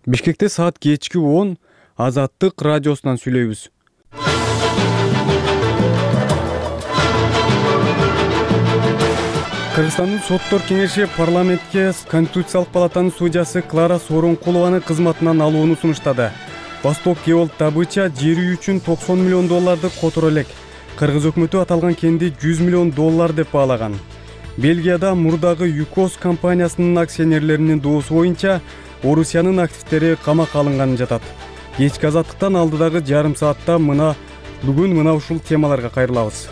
Бишкекте саат кечки 10 Азаттык радиосунан сүйлөйбүз. Кыргызстандын соттор кеңеши парламентке Конституциялык палатанын судьясы Клара Сооронкулованы кызматынан алууну сунуштады. Восток Кебол добыча жери үчүн $90 миллион которо элек. Кыргыз өкмөтү аталган кенди $100 миллион деп баалаган. Бельгияда мурдагы ЮКОС компаниясынын акционерлеринин доосу боюнча Орусиянын активдери камакка алынганы жатат. Кечки Азаттыктан алдыдагы жарым саатта бүгүн мына ушул темаларга кайрылабыз.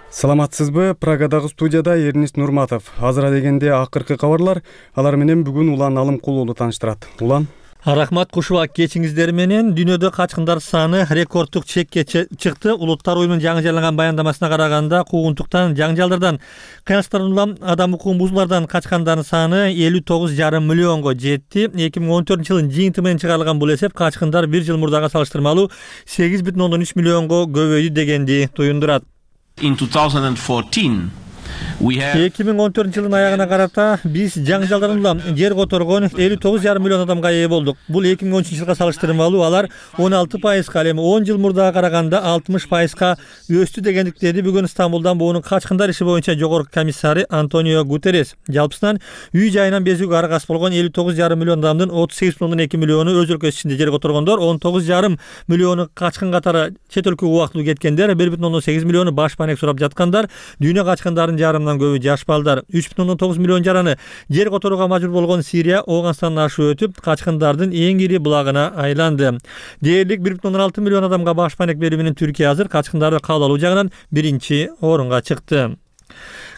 Саламатсызбы? Прагадагы студияда Эрнис Нурматов. Азыр дегенде акыркы кабарлар, алар менен бүгүн Улан Алымкулуулу тааныштырат. Улан. Рахмат Кушуба, кечиңиздер менен. Дүйнөдө качкындар саны рекордтук чекке чыкты. Улуттар уюмунун жаңы жарыялаган баяндамасына караганда, куугунтуктан, жаңжалдардан, кыянчтардан улам адам укугун бузуулардан качкандардын саны 59,5 миллионго жетти. 2014 жылдын жыйынты менен чыгарылган бул эсеп качкындар бир жыл мурдага салыштырмалуу 8,3 миллионго көбөйдү дегенди туюндурат. In 2014 2014 жылдын аягына карата биз жаңжалдардан улам жер которгон 59,5 миллион адамга ээ болдук. Бул 2013 жылга салыштырмалуу алар 16%, ал эми 10 жыл мурдага караганда 60% өстү дегендиктерди бүгүн Стамбулдан буунун качкындар иши боюнча жогорку комиссары Антонио Гутеррес. Жалпысынан үй жайынан безүүгө аргасы болгон 59,5 миллион адамдын 38,2 миллиону өз өлкөсү ичинде жер которгондор, 19,5 миллиону качкын катары чет өлкөгө убактылуу кеткендер, 1,8 миллиону баш маек сурап жаткандар, дүйнө качкындардын жарымынан көбү жаш балдар, 3,9 миллион жараны жер которууга мажбур болгон Сирия Ооганстандан ашып өтүп, качкындардын эң ири булагына айланды. Дээрлик 1,6 миллион адамга баш маек берүү менен Түркия азыр качкындарды кабыл алуу жагынан биринчи орунга чыкты.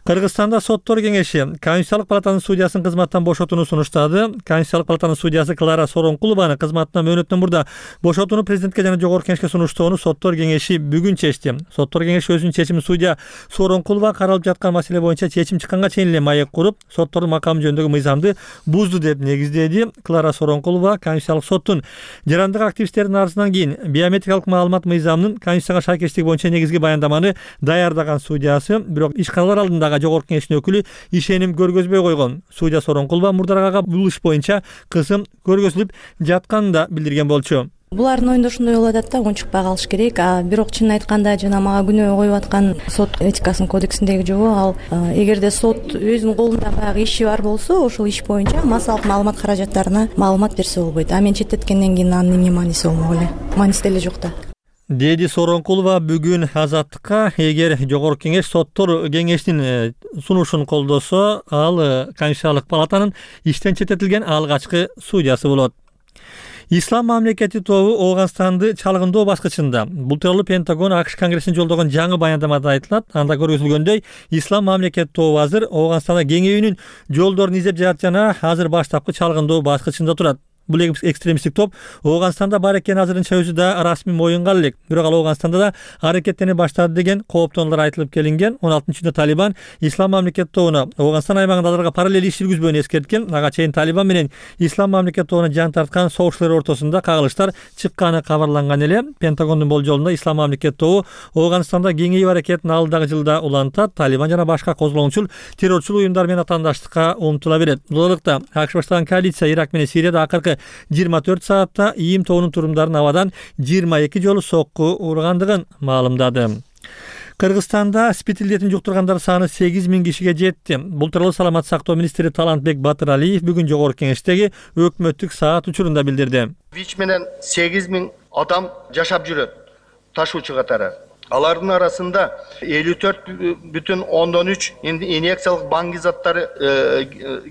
Кыргызстанда соттор кеңеши Конституциялык палатанын судьясын кызматтан бошотууну сунуштады. Конституциялык палатанын судьясы Клара Сооронкулованы кызматтан мөөнөттөн мурда бошотууну президентке жана жогорку кеңешке сунуштоону соттор кеңеши бүгүн чечти. Соттор кеңеши өзүнүн чечимин судья Сооронкулова каралып жаткан маселе боюнча чечим чыкканга чейин эле маек куруп, соттордун макамы жөнүндөгү мыйзамды бузду деп негиздеди. Клара Сооронкулова Конституциялык соттун жарандык активисттердин арызынан кийин биометрикалык маалымат мыйзамынын Конституцияга шайкештиги боюнча негизги баяндаманы даярдаган судьясы, бирок ишканалар алдындагы жогорку кеңештин өкүлү ишеним көргөзбөй койгон. Судья Сооронкулова мурдарага бул иш боюнча кысым көргөзүлүп жатканын да билдирген болчу. Булардын оюнда ошондой болуп атат да, унчукпай калыш керек. Бирок чынын айтканда жана мага күнөө коюп аткан сот этикасынын кодексиндеги жобо ал эгерде сот өзүнүн колунда баягы иши бар болсо, ошол иш боюнча массалык маалымат каражаттарына маалымат берсе болбойт. Мен четтеткенден кийин анын эмне мааниси болмок эле? Мааниси деле жок да. Деди Сооронкулова бүгүн Азаттыкка эгер жогорку кеңеш соттор кеңешинин сунушун колдосо, ал Конституциялык палатанын иштен четтетилген алгачкы судьясы болот. Ислам мамлекети тобу Ооганстанды чалгындоо баскычында. Бул тууралуу Пентагон АКШ Конгрессине жолдогон жаңы баяндамада айтылат. Анда көрсөтүлгөндөй, Ислам мамлекети тобу азыр Ооганстанда кеңейүүнүн жолдорун издеп жатат жана азыр баштапкы чалгындоо баскычында турат. Бул экстремисттик топ Ооганстанда бар экени азырынча өзү да расмий моюнган элек. Бирок ал Ооганстанда да аракеттене баштады деген кооптонуулар айтылып келинген. 16-июнда Талибан Ислам мамлекети тобуна Ооганстан аймагында аларга параллель иш жүргүзбөөнү эскерткен. Ага чейин Талибан менен Ислам мамлекети тобуна жан тарткан согушчулар ортосунда кагылыштар чыкканы кабарланган эле. Пентагондун болжолунда Ислам мамлекети тобу Ооганстанда кеңейүү аракетин алдыдагы жылда улантат. Талибан жана башка козголоңчул террорчул уюмдар менен атаандаштыкка умтула берет. Бул аралыкта АКШ баштаган коалиция Ирак менен Сирияда акыркы 24 саатта ИИМ тобунун турумдарын абадан 22 жолу сокку ургандыгын маалымдады. Кыргызстанда спид илдетин жуктургандар саны 8,000 кишиге жетти. Бул тууралуу саламат сактоо министри Талантбек Батыралиев бүгүн жогорку кеңештеги өкмөттүк саат учурунда билдирди. ВИЧ менен 8,000 адам жашап жүрөт ташуучу катары. Алардын арасында 54,3 инъекциялык баңги заттары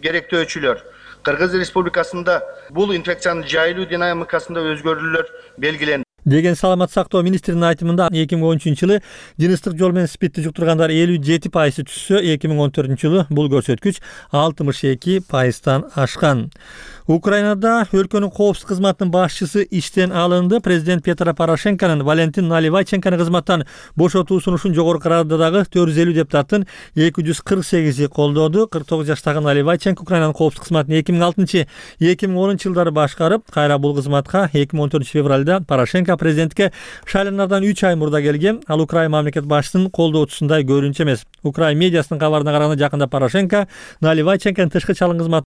керектөөчүлөр. Кыргыз Республикасында бул инфекциянын жайылуу динамикасында өзгөрүүлөр белгиленди деген саламат сактоо министринин айтымында 2013 жылы жыныстык жол менен спидти жуктургандар 57% түшсө, 2014 жылы бул көрсөткүч 62%тан ашкан. Украинада өлкөнүн коопсуздук кызматынын башчысы иштен алынды. Президент Петро Порошенконун Валентин Наливайченкону кызматтан бошотуу сунушун жогорку Рададагы 450 депутаттын 248 колдоду. 49 жаштагы Наливайченко Украинанын коопсуздук кызматын 2006-2010 жылдары башкарып, кайра бул кызматка 2014 февралда Порошенко президентке шайланардан 3 ай мурда келген. Ал Украина мамлекет башчысынын колдоочусундай көрүнчү эмес. Украина медиасынын кабарына караганда жакында Порошенко Наливайченконун тышкы чалым кызматына